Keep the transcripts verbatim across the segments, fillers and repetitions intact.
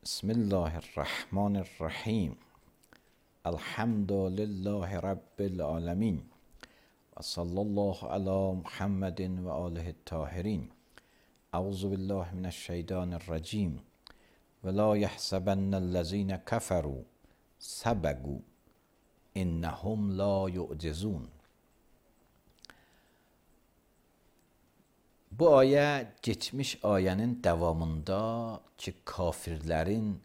بسم الله الرحمن الرحیم. الحمد لله رب العالمین و صلی الله علی محمد و آله الطاهرین. اعوذ بالله من الشیطان الرجیم. ولا یحسبن الذین کفروا سبقوا انهم لا یعجزون. Bu ayə geçmiş ayənin davamında ki, kafirlərin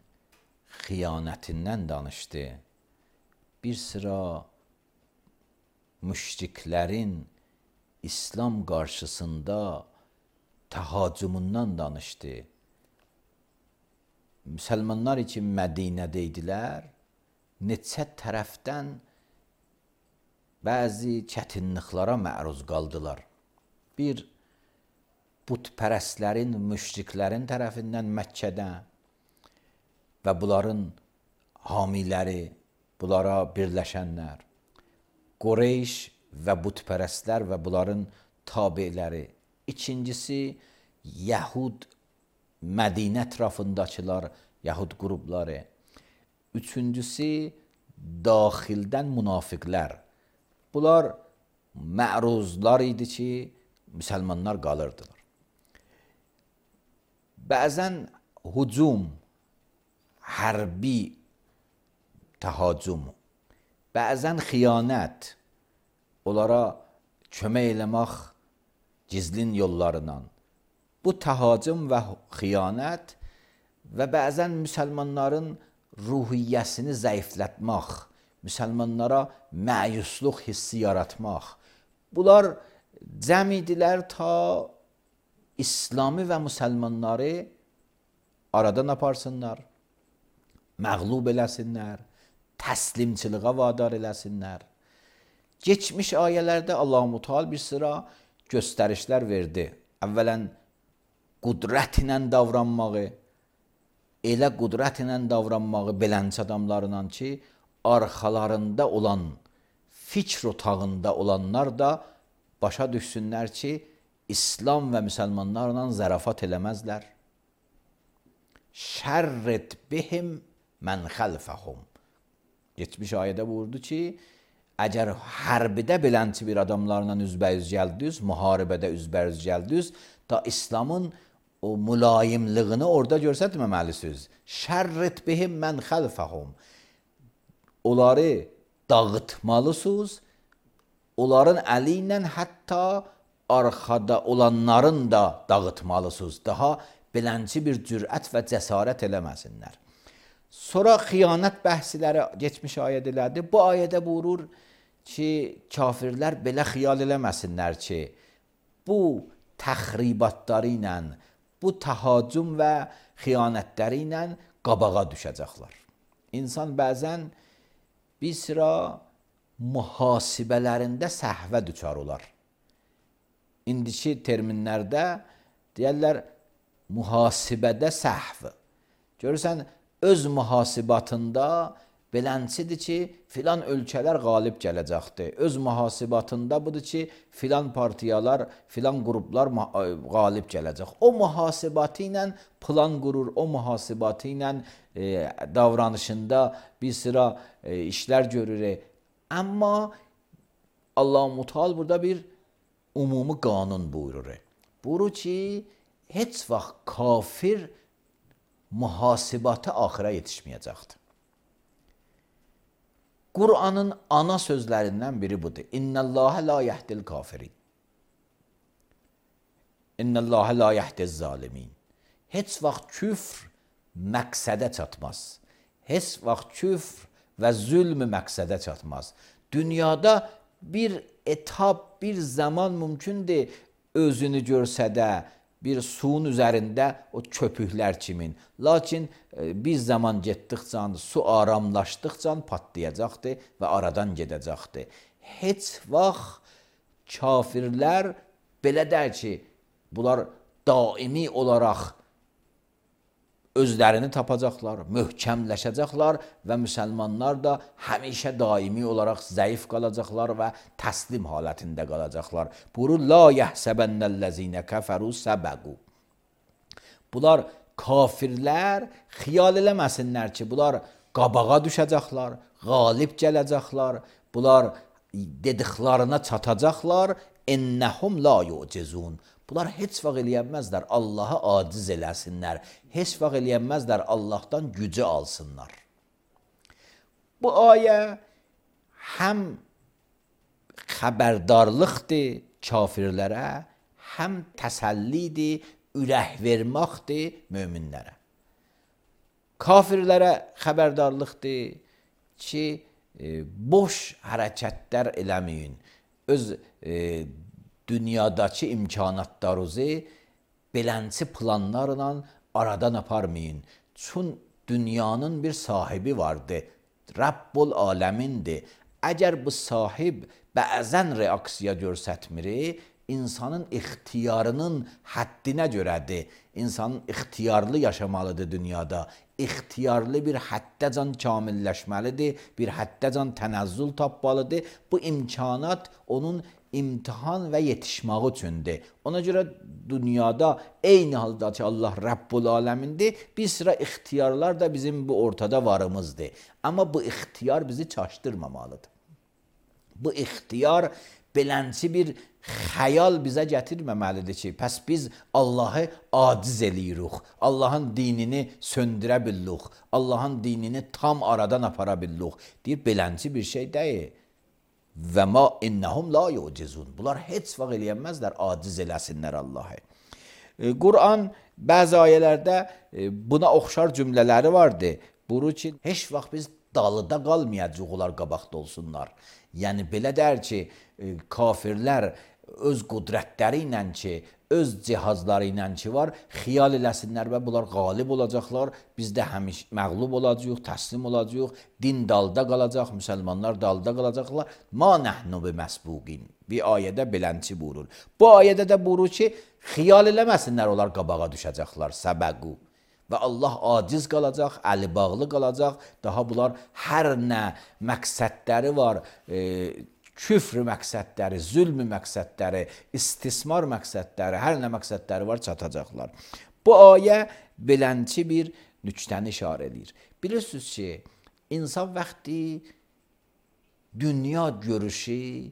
xiyanətindən danışdı. Bir sıra müşriklərin İslam qarşısında təhacumundan danışdı. Müsəlmanlar için Mədinədə idilər. Neçə tərəfdən bəzi çətinliklərə məruz qaldılar. Bir, putpərəstlərin, müşriklərin tərəfindən Məkkədə və bunların hamiləri, bunlara birləşənlər, Qureyş və putpərəstlər və bunların tabiləri. İkincisi, Yəhud, Mədinə ətrafındakılar, Yəhud qrupları. Üçüncüsü, daxildən münafiqlər. Bunlar məruzlar idi ki, müsəlmanlar qalırdılar. Bəzən hücum, hərbi təhacüm, bəzən xiyanət, onlara kömək eləmək gizlin yollarından. Bu təhacüm və xiyanət və bəzən müsəlmanların ruhiyyəsini zəiflətmək, müsəlmanlara məyusluq hissi yaratmaq. Bunlar cəm idilər ta İslami və müsəlmanları aradan aparsınlar, məğlub eləsinlər, təslimçiliğə vadar eləsinlər. Geçmiş ayələrdə Allah-u Teala bir sıra göstərişlər verdi. Əvvələn qudrət ilə davranmağı, elə qudrət ilə davranmağı belənç adamlarla ki, arxalarında olan, fikr otağında olanlar da başa düşsünlər ki, İslam və müsəlmanlarla zərafat eləməzlər. Şərrit bihim mən xəlfəhum. Geçmiş ayədə buyurdu ki, əgər hərbidə belənçi bir adamlarla üzbəyüz gəldiniz, müharibədə üzbəyüz gəldiniz, da İslamın o mülayimlığını orada göstərməməlisiniz. Şərrit bihim mən xəlfəhum. Onları dağıtmalısınız, onların əli ilə hətta arxada olanların da dağıtmalısınız. Daha belənci bir cürət və cəsarət eləməsinlər. Sonra xiyanət bəhsiləri geçmiş ayədilərdir. Bu ayədə buyurur ki, kafirlər belə xiyal eləməsinlər ki, bu təxribatları ilə, bu təhacüm və xiyanətləri ilə qabağa düşəcəklər. İnsan bəzən bir sıra mühasibələrində səhvə düçar olar. İndiki terminlərdə deyərlər, mühasibədə səhv. Görürsən, öz mühasibatında belənçidir ki, filan ölkələr qalib gələcəkdir. Öz mühasibatında budur ki, filan partiyalar, filan qruplar qalib gələcək. O mühasibatı ilə plan qurur, o mühasibatı ilə e, davranışında bir sıra e, işlər görür. Amma Allah-u Teala burada bir umumi qanun buyurur. Buyurur ki, heç vaxt kafir mühasibatı axıra yetişməyəcəkdir. Qur'anın ana sözlərindən biri budur. İnnəllâhe la yehdil kafirin. İnnəllâhe la yehdiz zalimin. Heç vaxt küfr məqsədə çatmaz. Heç vaxt küfr və zülm məqsədə çatmaz. Dünyada bir etap, bir zaman mümkündür özünü görsə də bir suyun üzərində o köpüklər kimin. Lakin e, bir zaman getdikcə, su aramlaşdıqca patlayacaqdır və aradan gedəcəkdir. Heç vaxt kafirlər belə der ki, bunlar daimi olaraq özlərini tapacaqlar, möhkəmləşəcəklər və müsəlmanlar da həmişə daimi olaraq zəif qalacaqlar və təslim halətində qalacaqlar. Buyurur, la yəhsəbənnəl-ləzinə kəfəru səbəqu. Bunlar kafirlər xiyal eləməsinlər ki, bunlar qabağa düşəcəklər, qalib gələcəklər, bunlar dediklarına çatacaqlar. İnnəhum la yu'cizun. Bunlar heç vaxt eləyənməzlər Allah'a aciz eləsinlər. Heç vaxt eləyənməzlər Allah'tan gücü alsınlar. Bu ayə həm xəbərdarlıqdır kafirlərə, həm təsəllidir, ürək verməkdir möminlərə. Kafirlərə xəbərdarlıqdır ki, e, boş hərəkətlər eləməyin. Öz e, dünyadakı imkanatlarınızı belənçi planlarla aradan aparmayın. Çün dünyanın bir sahibi vardı. Rabbul aləmindir. Əgər bu sahib bəzən reaksiya göstərmir, insanın ixtiyarının həddinə görədir. İnsanın ixtiyarlı yaşamalıdır dünyada. İxtiyarlı bir həddəcan kamilləşməlidir, bir həddəcan tənəzzül tapmalıdır. Bu imkanat onun imtihan və yetişməyi üçündür. Ona görə dünyada eyni halda ki Allah Rabbul aləmindir, bir sıra ixtiyarlar da bizim bu ortada varımızdır. Amma bu ixtiyar bizi çaşdırmamalıdır. Bu ixtiyar belənçi bir xəyal bizə gətirməməlidir ki, pəs biz Allahı aciz eləyirik, Allahın dinini söndürə bildik, Allahın dinini tam aradan apara bildik. Deyir, belənçi bir şey deyil. Və ma innəhum la yu'cizun. Bunlar heç vaxt eləyənməzlər, aciz eləsinlər Allahı. E, Quran bəzi ayələrdə e, buna oxşar cümlələri vardı. Buyurur ki, heç vaxt biz dalıda qalmayacaq, onlar qabaqda olsunlar. Yəni belə dər ki, e, kafirlər öz qudrətləri ilə ki, öz cihazları ilə ki var, xiyal eləsinlər və bunlar qalib olacaqlar, biz də həmiş məğlub olacaq, təslim olacaq, din dalda qalacaq, müsəlmanlar dalda qalacaqlar. Ma nəhnu bi məsbuqin. Bir ayədə belənçi buyurur. Bu ayədə də buyurur ki, xiyal eləməsinlər, onlar qabağa düşəcəklər, səbəqu. Və Allah aciz qalacaq, əli bağlı qalacaq. Daha bunlar hər nə məqsədləri var, e, küfr məqsədləri, zülm məqsədləri, istismar məqsədləri, hər nə məqsədləri var, çatacaqlar. Bu ayə belənçi bir nüktəni işarə edir. Bilirsiniz ki, insan vaxtı dünya görüşü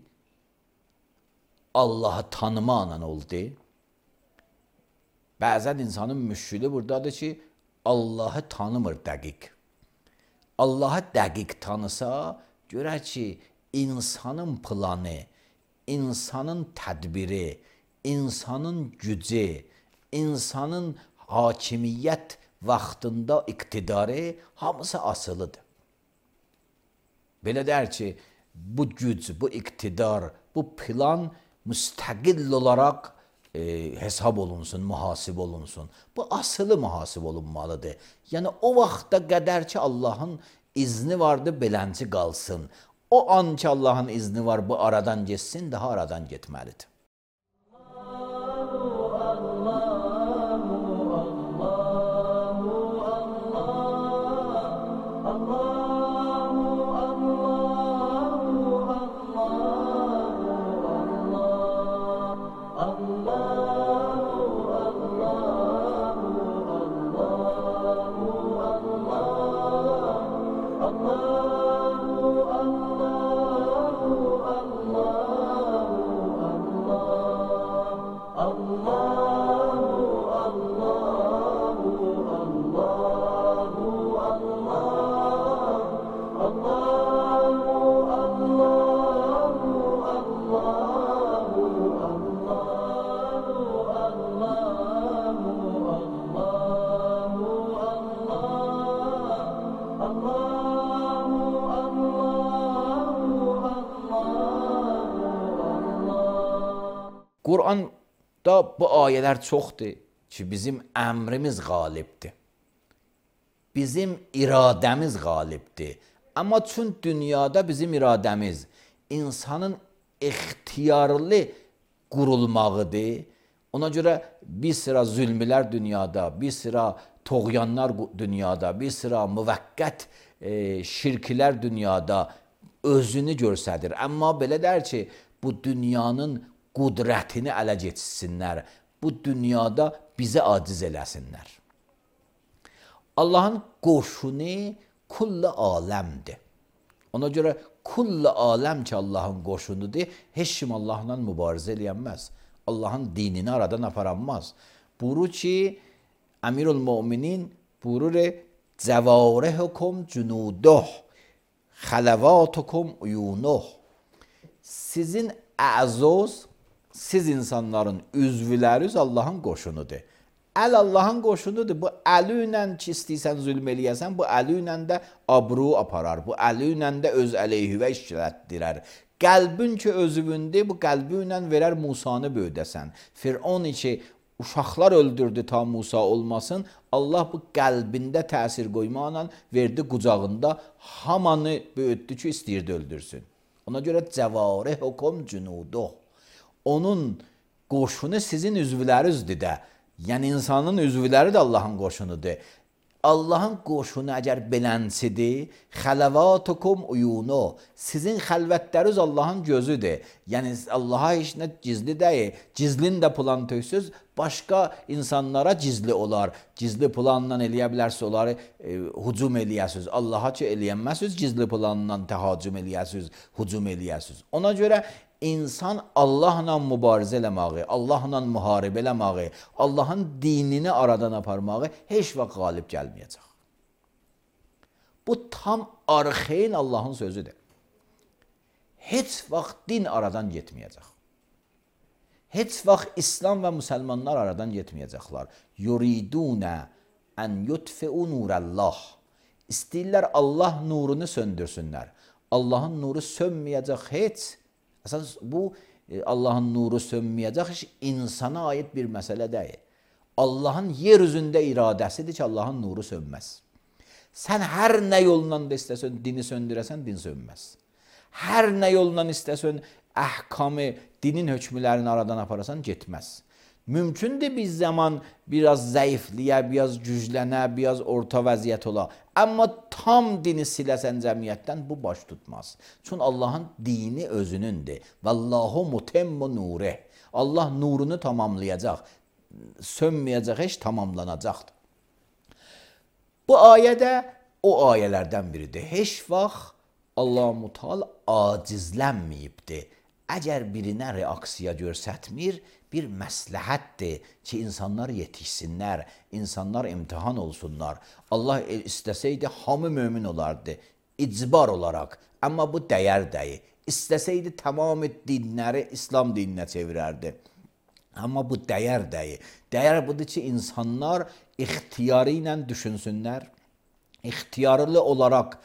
Allahı tanımaqla oldu. Bəzən insanın müşkülü buradadır ki, Allahı tanımır dəqiq. Allahı dəqiq tanısa, görər ki, insanın planı, insanın tədbiri, insanın gücü, insanın hakimiyyət vaxtında iqtidarı hamısı asılıdır. Belə dər ki, bu güc, bu iqtidar, bu plan müstəqil olaraq e, hesab olunsun, mühasib olunsun. Bu asılı mühasib olunmalıdır. Yəni o vaxta qədər ki Allahın izni vardı, belənci qalsın. O an ki Allahın izni var, bu aradan geçsin, daha aradan getməlidir. Quranda bu ayələr çoxdur ki, bizim əmrimiz qalibdir. Bizim iradəmiz qalibdir. Amma çün dünyada bizim iradəmiz insanın ixtiyarlı qurulmağıdır. Ona görə bir sıra zülmlər dünyada, bir sıra toğyanlar dünyada, bir sıra müvəqqət e, şirklər dünyada özünü göstərir. Amma belə dər ki, bu dünyanın qudrətini ələ geçsinlər. Bu dünyada bizə aciz eləsinlər. Allahın qoşunu kullu aləmdir. Ona görə kullu aləm ki Allahın qoşunudur, heç kim Allahla mübarizə eləyənməz. Allahın dinini aradan aparanmaz. Buyurur ki, Əmirül Möminin buyurur, Cəvarihukum cunuduh, xalavatukum uyunuh. Sizin əzoz, siz insanların üzvləriniz Allahın qoşunudur. Əl Allahın qoşunudur. Bu əli ilə ki istəyirsən zülm eləyəsən, bu əli ilə də abru aparar. Bu əli ilə də öz əleyhivə işlətdirər. Qəlbin ki özüvündür, bu qəlbi ilə verər Musanı böyüdəsən. Firon ki uşaqlar öldürdü ta Musa olmasın, Allah bu qəlbində təsir qoymaqla verdi qucağında hamanı böyütdü ki istəyirdi öldürsün. Ona görə Cəvarihukum cunuduh. Onun qoşunu sizin üzvlərinizdir də. Yəni insanın üzvləri də Allahın qoşunudur. Allahın qoşunu əgər belənsidir, xalavatukum uyunu, sizin xəlvətləriniz Allahın gözüdür. Yəni Allaha heç nə gizli deyil. Gizlin də plan töksüz, başqa insanlara gizli olar. Gizli planla eləyə bilərsə onları e, hücum eləyəsiz. Allaha ki eləyənməsiz, gizli planla təhacüm eləyəsiz, hücum eləyəsiz. Ona görə İnsan Allahla mübarizə eləməyi, Allahla müharibə eləməyi, Allahın dinini aradan aparmağı heç vaxt qalib gəlməyəcək. Bu tam arxeyn Allahın sözüdür. Heç vaxt din aradan getməyəcək. Heç vaxt İslam və müsəlmanlar aradan getməyəcəklər. Yuridunə ən yutfi'u nurəllah. İstəyirlər Allah nurunu söndürsünlər. Allahın nuru sönməyəcək heç. Əsas bu Allahın nuru sönməyəcək heç insana aid bir məsələ deyil. Allahın yer üzündə iradəsidir ki, Allahın nuru sönməz. Sən hər nə yolla da istəsən dini söndürəsən, din sönməz. Hər nə yolla istəsən əhkamı, dinin hökmlərini aradan aparasan, getməz. Mümkündür bir zaman biraz zəifliyə, biraz güclənə, biraz orta vəziyyət ola. Amma tam dini siləsən cəmiyyətdən bu baş tutmaz. Çünki Allahın dini özünündür. Vallahu mutemmu nurih. Allah nurunu tamamlayacaq. Sönməyəcək, heç tamamlanacaqdır. Bu ayədə o ayələrdən biridir. Heç vaxt Allah-u Teala acizlənməyibdir. Əgər birinə reaksiya görsətmir, bir məsləhətdir ki, insanlar yetişsinlər, insanlar imtihan olsunlar. Allah istəsəydi, hamı mömin olardı, icbar olaraq. Amma bu dəyər deyil. İstəsəydi, tamam dinləri İslam dininə çevirərdi. Amma bu dəyər deyil. Dəyər budur ki, insanlar ixtiyarı ilə düşünsünlər, ixtiyarlı olaraq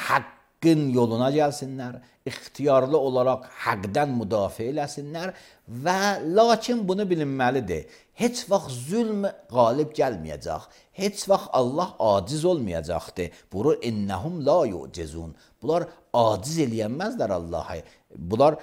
haqqın yoluna gəlsinlər, ixtiyarlı olaraq həqdən müdafiə eləsinlər və lakin bunu bilinməlidir. Heç vaxt zülm qalib gəlməyəcək. Heç vaxt Allah aciz olmayacaqdır. Buyurur, innəhum la yu'cizun. Bunlar aciz eləyənməzlər Allah'a. Bunlar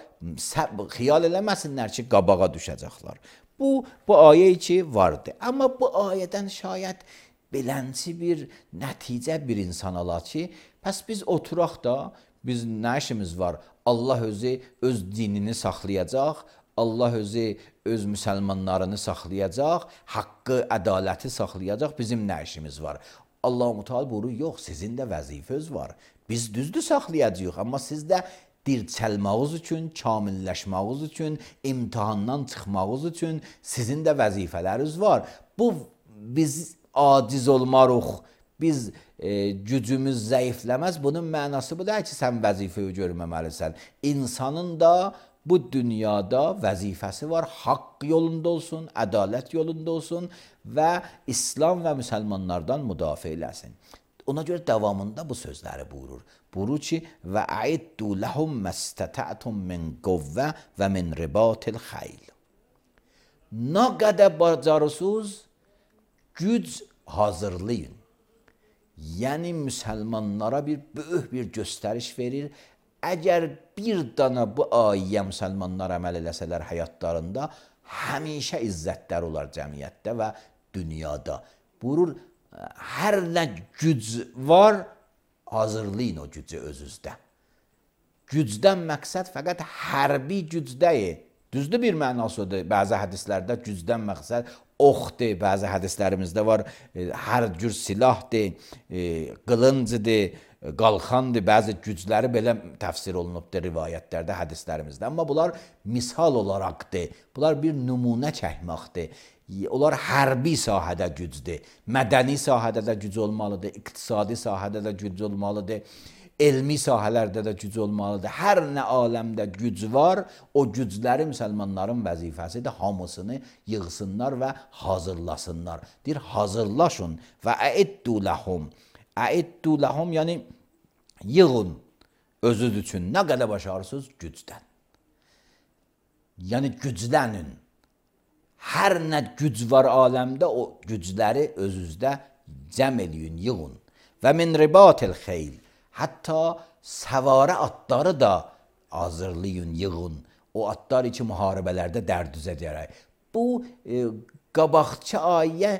xiyal eləməsinlər ki, qabağa düşəcəklər. Bu, bu ayə ki vardır. Amma bu ayədən şayət belənci bir nəticə bir insan ala ki, pəs biz oturaq da, biz nə işimiz var? Allah özü öz dinini saxlayacaq, Allah özü öz müsəlmanlarını saxlayacaq, haqqı, ədaləti saxlayacaq, bizim nə işimiz var? Allah-u Teala buyurur, yox, sizin də vəzifəniz var. Biz düzdür saxlayacağıq, amma siz də dirçəlməğiniz üçün, kamilləşməğiniz üçün, imtihandan çıxmağınız üçün sizin də vəzifələriniz var. Bu, biz aciz olmarıq, biz e, gücümüz zəifləməz. Bunun mənası bu deyil ki, sən vəzifəyi görməməlisən. İnsanın da bu dünyada vəzifəsi var. Haqq yolunda olsun, ədalət yolunda olsun və İslam və müsəlmanlardan müdafiə eləsin. Ona görə davamında bu sözləri buyurur. Buyurur ki, və əiddu ləhum məstətətum min qovvə və min ribatil xeyl. Nə qədər bacarırsınız, güc hazırlayın. Yəni müsəlmanlara bir böyük bir göstəriş verir. Əgər bir dana bu ayyə müsəlmanlar əməl eləsələr həyatlarında, həmişə izzətlər olar cəmiyyətdə və dünyada. Buyurur, hər nə güc var, hazırlayın o gücü özünüzdə. Gücdən məqsəd fəqət hərbi güc deyil. Düzdür bir mənasıdır. Bəzi hədislərdə gücdən məqsəd oxdur, bəzi hədislərimizdə var, e, hər cür silahdır, e, qılıncdır, qalxandır, bəzi gücləri belə təfsir olunubdur rivayətlərdə, hədislərimizdə. Amma bunlar misal olaraqdır, bunlar bir nümunə çəkməkdir. Onlar hərbi sahədə gücdür, mədəni sahədə də güc olmalıdır, iqtisadi sahədə də güc olmalıdır, elmi sahələrdə də güc olmalıdır. Hər nə aləmdə güc var, o gücləri müsəlmanların vəzifəsidir, hamısını yığsınlar və hazırlasınlar. Deyir, hazırlaşın və əiddu ləhum. Əiddu ləhum, yəni yığın özünüz üçün. Nə qədər başarısınız? Gücdən. Yəni güclənin. Hər nə güc var aləmdə, o gücləri özünüzdə cəm eləyin, yığın. Və min ribatil xeyl, hətta səvarə atları da hazırlayın, yığın. O atlar iki müharibələrdə dərdüzə gərək. Bu, e, qabaqçı ayə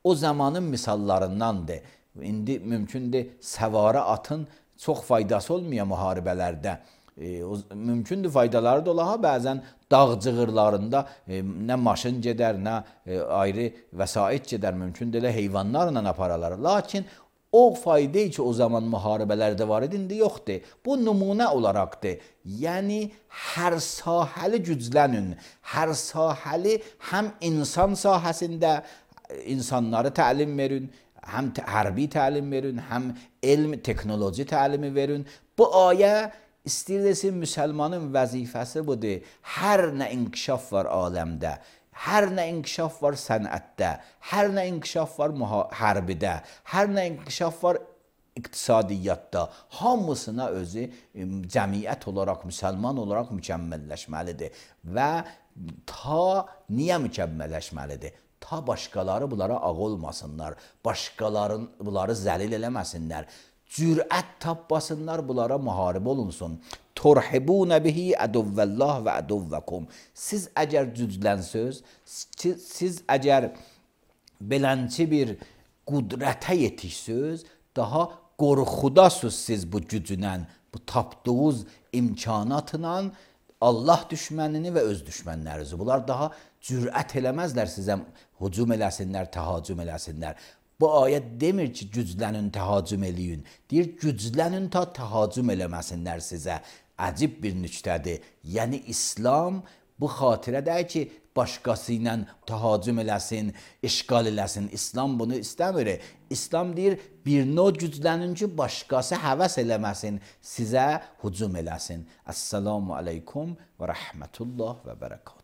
o zamanın misallarındandır. İndi mümkündür, səvarə atın çox faydası olmuyor müharibələrdə. E, o, mümkündür faydaları da ola, bəzən dağ cığırlarında e, nə maşın gedər, nə e, ayrı vəsait gedər, mümkündür elə heyvanlarla aparalar. Lakin o fayda ki o zaman müharibələrdə var idi, indi yoxdur. Bu nümunə olaraqdır. Yəni hər sahəli güclənin, hər sahəli həm insan sahəsində insanları təlim verin, həm hərbi təlim verin, həm elm, texnoloji təlimi verin. Bu ayə İstəyir desin, müsəlmanın vəzifəsi budur. Hər nə inkişaf var aləmdə, hər nə inkişaf var sənətdə, hər nə inkişaf var hərbidə, hər nə inkişaf var iqtisadiyyatda, hamısına özü cəmiyyət olaraq, müsəlman olaraq mükəmməlləşməlidir. Və ta niyə mükəmməlləşməlidir? Ta başqaları bunlara ağ olmasınlar, başqaları bunları zəlil eləməsinlər. Cürət tapmasınlar, bunlara müharibə olunsun. Turhibunə bihi əduvvəllah və əduvvəkum. Siz əgər cüclənsöz, siz əgər belənçi bir qudrətə yetişsöz, daha qorxudasız siz bu gücünlə, bu tapdığınız imkanatla Allah düşmənini və öz düşmənlərinizi. Bunlar daha cürət eləməzlər sizə hücum eləsinlər, təhacüm eləsinlər. Bu ayət demir ki, güclənin, təhacüm eləyin. Deyir, güclənin ta təhacüm eləməsinlər sizə. Əcib bir nüktədir. Yəni, İslam bu xatirədir ki, başqası ilə təhacüm eləsin, işgal eləsin. İslam bunu istəmir. İslam deyir, bir növ güclənin ki, başqası həvəs eləməsin, sizə hücum eləsin. Əssalamu aleykum və rəhmətullah və bərəkət.